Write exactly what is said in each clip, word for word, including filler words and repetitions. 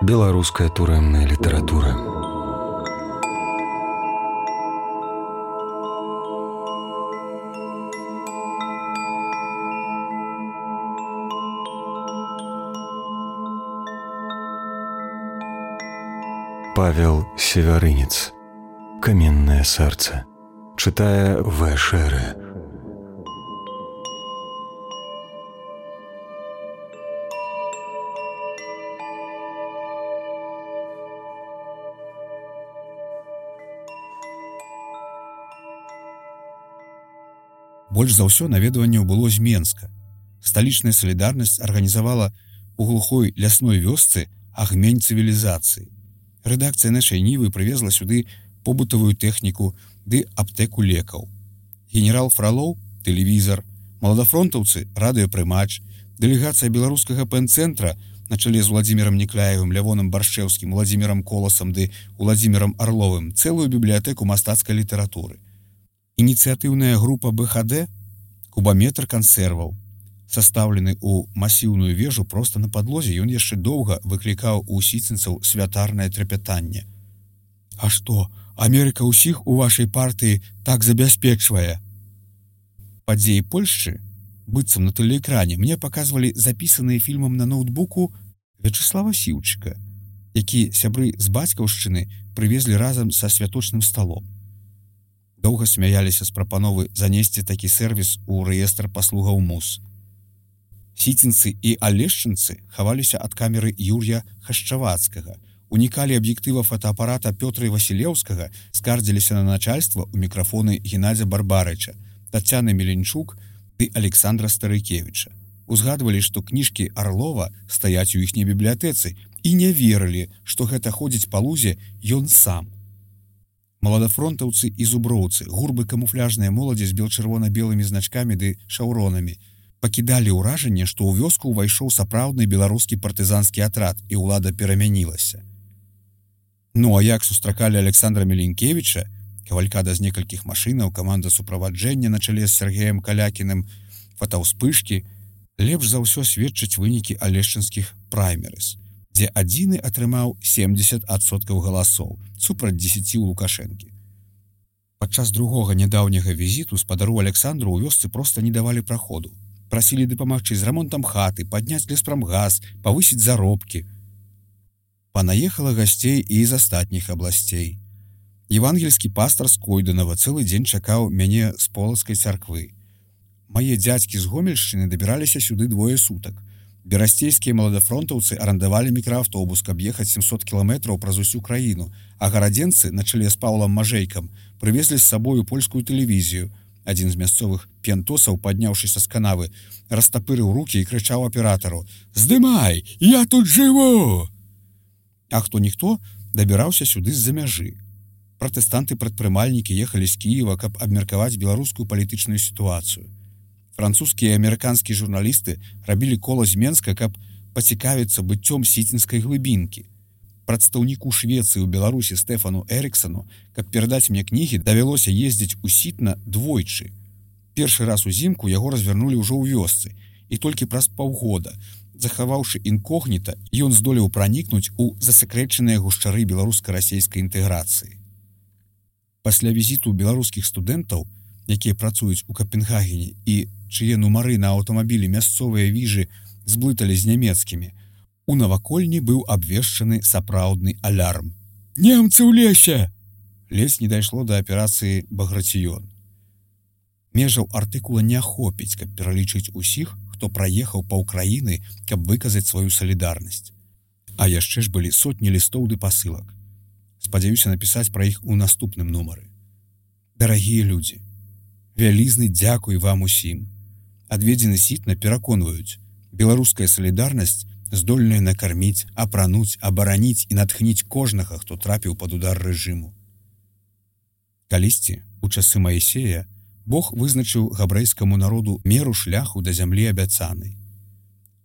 Беларуская турэмная літаратура. Павел Севярынец. Каменное сердце. Читая В. Шеры. Больш за ўсё наведванняў было з Менска. Сталічная салідарнасць арганізавала ў глухой лясной вёсцы агмень цывілізацыі. Рэдакцыя нашай Нівы прывезла сюды побытавую тэхніку ды аптэку лекаў. Генерал Фролоў — тэлевізар, маладафронтаўцы — радыёпрымач, дэлегацыя беларускага пэн-цэнтра на чале з Владзімірам Некляевым, Лявонам Баршчэўскім, Владзімірам Коласам ды Владзімірам Арловым цэлую бібліятэку мастацкай літаратуры. Ініцыятыўная група Бэ Ха Дэ — кубаметр кансерваў. Састаўлены ў масіўную вежу проста на падлозе, ён яшчэ доўга выклікаў у сіцінцаў святарнае трапятанне. А што, Амерыка ўсіх у вашай партыі так забяспечвае? Падзеі Польшчы, быццам на тэлеэкране, мне паказвалі запісаныя фільмам на ноутбуку Вячеслава Сіўчыка, які сябры з бацькаўшчыны прывезлі разам са святочным сталом. Доўга смяяліся з прапановы занесці такі сервіс у рэестр паслугаў МУС. Сіцінцы і алешчынцы хаваліся ад камеры Юр'я Хашчавацкага, унікалі аб'ектыва фотоапарата Пётра Васілеўскага, скардзіліся на начальства ў мікрафоны Геннадзя Барбарыча, Тацяны Меленчук ды Александра Старыкевіча. Узгадвалі, што кніжкі Арлова стаяць у іхняй бібліятэцы і не верылі, што гэта ходзіць па лузе ён сам. Маладафронтаўцы і зуброўцы, гурбы камуфляжныя моладзі з бел-чырвона-белымі значкамі ды шаўронамі, пакідалі ўражанне, што ў вёску ўвайшоў сапраўдны беларускі партызанскі атрад і ўлада перамянілася. Ну а як сустракалі Александра Меленкевіча, кавалькада з некалькіх машынаў, каманда суправаджэння на чале з Сергеем Калякіным, фотаўспышкі, лепш за ўсё сведчаць вынікі алешчынскіх праймерыз, дзе адзіны атрымаў семдзесят адсоткаў галасоў супраць дзесяці ў Лукашэнкі. Падчас другога нядаўняга візіту спадару Александру ў вёсцы проста не давалі праходу. Прасілі дапамагчы з рамонтам хаты, падняць леспрамгаз, павысіць заробкі. Панаехала гасцей і з астатніх абласцей. Евангельскі пастар з Койданава цэлы дзень чакаў мяне з полацкай царквы. Мае дзядзькі з Гомельшчыны дабіраліся сюды двое сутак. Берасцейскія маладафронтаўцы арандавалі мікрааўтобус, каб ехаць сямсот кіламетраў праз усю краіну, а гарадзенцы на чале з Паўлам Мажэйкам прывезлі з сабою польскую тэлевізію. Адзін з мясцовых п'янтосаў, падняўшыся з канавы, растапырыў рукі і крычаў аператару: «Здымай! Я тут жыву!» А хто-ніхто дабіраўся сюды з-за мяжы. Пратэстанты-прадпрымальнікі ехалі з Кіева, каб абмеркаваць беларускую палітычную сітуацыю. Французскія і амерыканскія журналісты рабілі кола з Менска, каб пацікавіцца быццём сіцінскай глыбінкі. Прадстаўніку Швецыі ў Беларусі Стэфану Эрыксану, каб перадаць мне кнігі, давялося ездзіць у Сітна двойчы. Першы раз узімку яго развернулі ўжо ў вёсцы, і толькі праз паўгода, захаваўшы інкогніта, ён здолеў пранікнуць у засакрэчаныя гушчары беларуска-расейскай інтэграцыі. Пасля візіту беларускіх студэнтаў, якія працуюць у Капенгагене і чые нумары на аўтамабілі мясцовыя віжы зблыталі з нямецкімі, у навакольні быў абвешчаны сапраўдны алярм. «Немцы ў лесе!» Ледзь не дайшло да аперацыі «Баграцыён». Межаў артыкула не ахопіць, каб пералічыць усіх, хто праехаў па ўкраіны, каб выказаць сваю салідарнасць. А яшчэ ж былі сотні лістоў ды пасылак. Спадзяюся напісаць пра іх у наступным нумары. Дарагія людзі, вялізны дзякуй вам усім. Адведзены Сітна пераконваюць, беларуская салідарнасць здольная накарміць, апрануць, абараніць і натхніць кожнага, хто трапіў пад удар рэжыму. Калісьці, у часы Маісея, Бог вызначыў габрэйскаму народу меру шляху да зямлі абяцанай.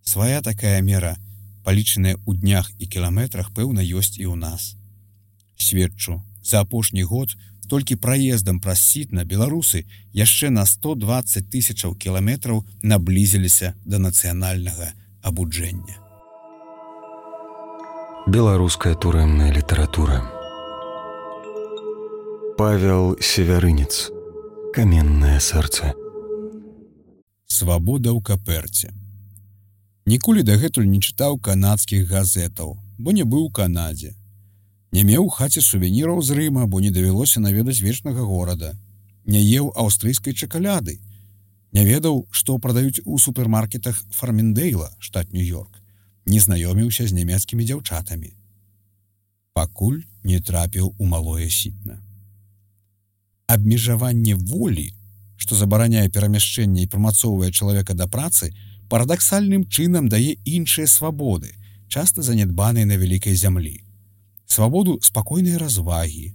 Свая такая мера, палічаная ў днях і кіламетрах, пэўна, ёсць і ў нас. Сведчу, за апошні год толькі праездам праз Сітна беларусы яшчэ на сто дваццаць тысячаў кіламетраў наблізіліся да нацыянальнага абуджэння. Беларуская турэмная літаратура. Павел Севярынец. Каменнае сэрца. Свабода ў каперце. Ніколі дагэтуль не чытаў канадскіх газетаў, бо не быў у Канадзе. Не меў у хаце сувеніраў з Рыма, бо не давялося наведаць вечнага горада. Не еў аўстрыйскай чакаляды. Не ведаў, што прадаюць у супермаркетах Фарміндейла, штат Нью-Йорк. Не знаёміўся з нямецкімі дзяўчатамі. Пакуль не трапіў у малое сітна. Абмежаванне волі, што забараняе перамяшчэнне і прымацоўвае чалавека да працы, парадаксальным чынам дае іншыя свабоды, часта занядбаныя на вялікай зямлі. Свабоду спакойнай развагі,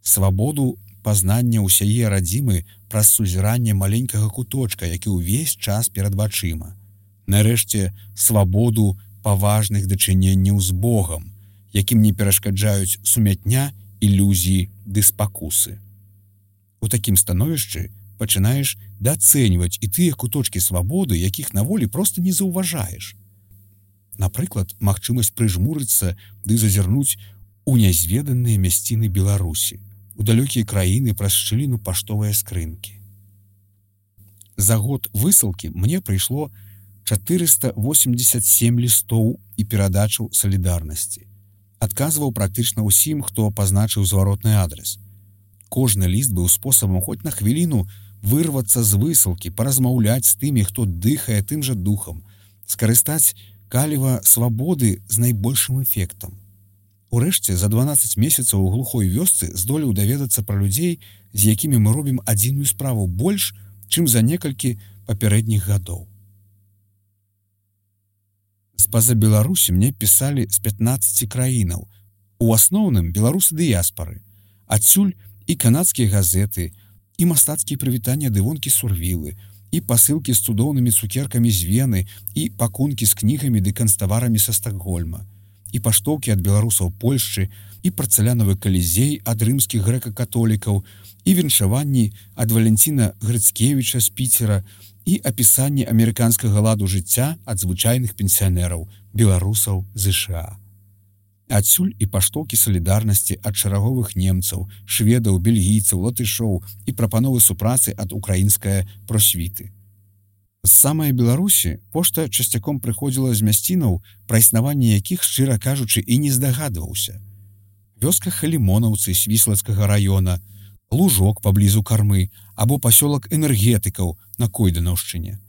свабоду пазнання ўсяе радзімы праз сузіранне маленькага куточка, які ўвесь час перад вачыма. Нарэшце, свабоду паважных дачыненняў з Богам, якім не перашкаджаюць сумятня, ілюзіі ды спакусы. У такім становішчы пачынаеш дацэньваць і тыя куточкі свабоды, якіх на волі проста не заўважаеш. Напрыклад, магчымасць прыжмурыцца ды зазірнуць у нязведаныя мясціны Беларусі, у далёкія краіны праз шчыліну паштовыя скрынкі. За год высылкі мне прыйшло чатырыста восемьдесят сем лістоў і перадачаў салідарнасці. Адказваў практычна ўсім, хто пазначыў зваротны адрес. Кожны ліст быў спосабам хоць на хвіліну вырвацца з высылкі, паразмаўляць з тымі, хто дыхае тым жа духам, скарыстаць каліва свабоды з найбольшым эфектам. Урэшце, за дванаццаць месяцаў у глухой вёсцы здолеў даведацца пра людзей, з якімі мы робім адзіную справу больш, чым за некалькі папярэдніх гадоў. З-па-за Беларусі мне пісалі з пятнаццаці краінаў, у асноўным беларусы дыяспары, адсюль і канадскія газеты, і мастацкія прывітання дывонкі Сурвілы, і пасылкі з цудоўнымі цукеркамі з Вены, і пакункі з кнігамі ды канцтаварамі са Стакгольма, і паштоўкі ад беларусаў Польшчы, і парцалянавы калізей ад рымскіх грэка-католікаў, і віншаванні ад Валянціна Грыцкевіча з Піцера, і апісанні амерыканскага ладу жыцця ад звычайных пенсіянераў, беларусаў ЗША. Адсюль і паштоўкі салідарнасці ад шараговых немцаў, шведаў, бельгійцаў, латышоў і прапановы супрацы ад украінскае просвіты. З самай Беларусі пошта часцяком прыходзіла з мясцінаў, пра існаванне якіх, шчыра кажучы, і не здагадваўся. Вёска Халімонаўцы Свіслацкага раёна, Лужок паблізу Кармы або пасёлак энергетыкаў на Койданаўшчыне.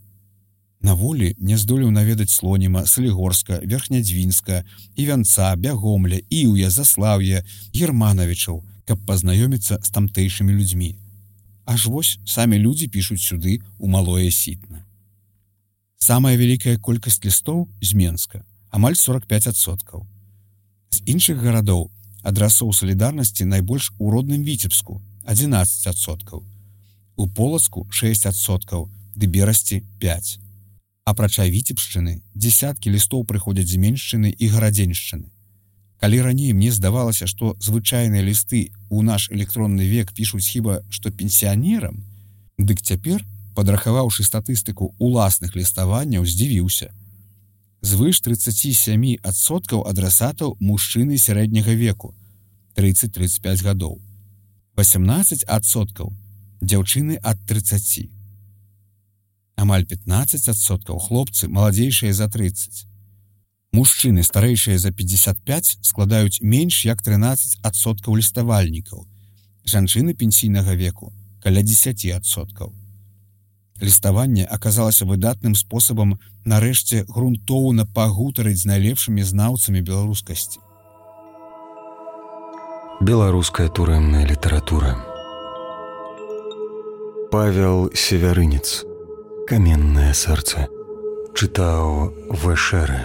На волі не здолеў наведаць Слоніма, Салігорска, Верхнядзвінска, Івянца, Бягомля, Іўя, Заслаўя, Германавічаў, каб пазнаёміцца з тамтэйшымі людзьмі. Аж вось самі людзі пішуць сюды у малое сітна. Самая вялікая колькасць лістоў з Менска, амаль сорок пяць адсоткаў. З іншых гарадоў адрасоў салідарнасці найбольш у родным Віцебску адзінаццаць адсоткаў, у Полацку шэсць адсоткаў, ды Берасці пяць. Апрача Віцебшчыны, дзесяткі лістоў прыходзяць з Меншчыны і Гарадзеншчыны. Калі раней мне здавалася, што звычайныя лісты ў наш электронны век пішуць хіба што пенсіянерам, дык цяпер, падрахаваўшы статыстыку уласных ліставанняў, здзівіўся. Звыш трыццаць сем адсоткаў адрасатаў мужчыны сярэдняга веку, трыццаць-трыццаць пяць гадоў. васемнаццаць адсоткаў дзяўчыны ад трыццаці. Амаль пятнаццаць адсоткаў хлопцы маладзейшыя за трыццаць. Мужчыны, старэйшыя за пятьдесят пять, складаюць менш як трынаццаць адсоткаў ліставальнікаў. Жанчыны пенсійнага веку каля дзесяць адсоткаў. Ліставанне аказалася выдатным спосабам нарэшце грунтоўна пагутарыць з найлепшымі знаўцамі беларускасці. Беларуская турэмная літаратура. Павел Севярынец. Каменнае сэрца. Чытаў Вэшэрэ.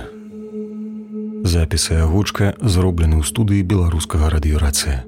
Запіс і агучка зроблены ў студыі беларускага радыёрацыя.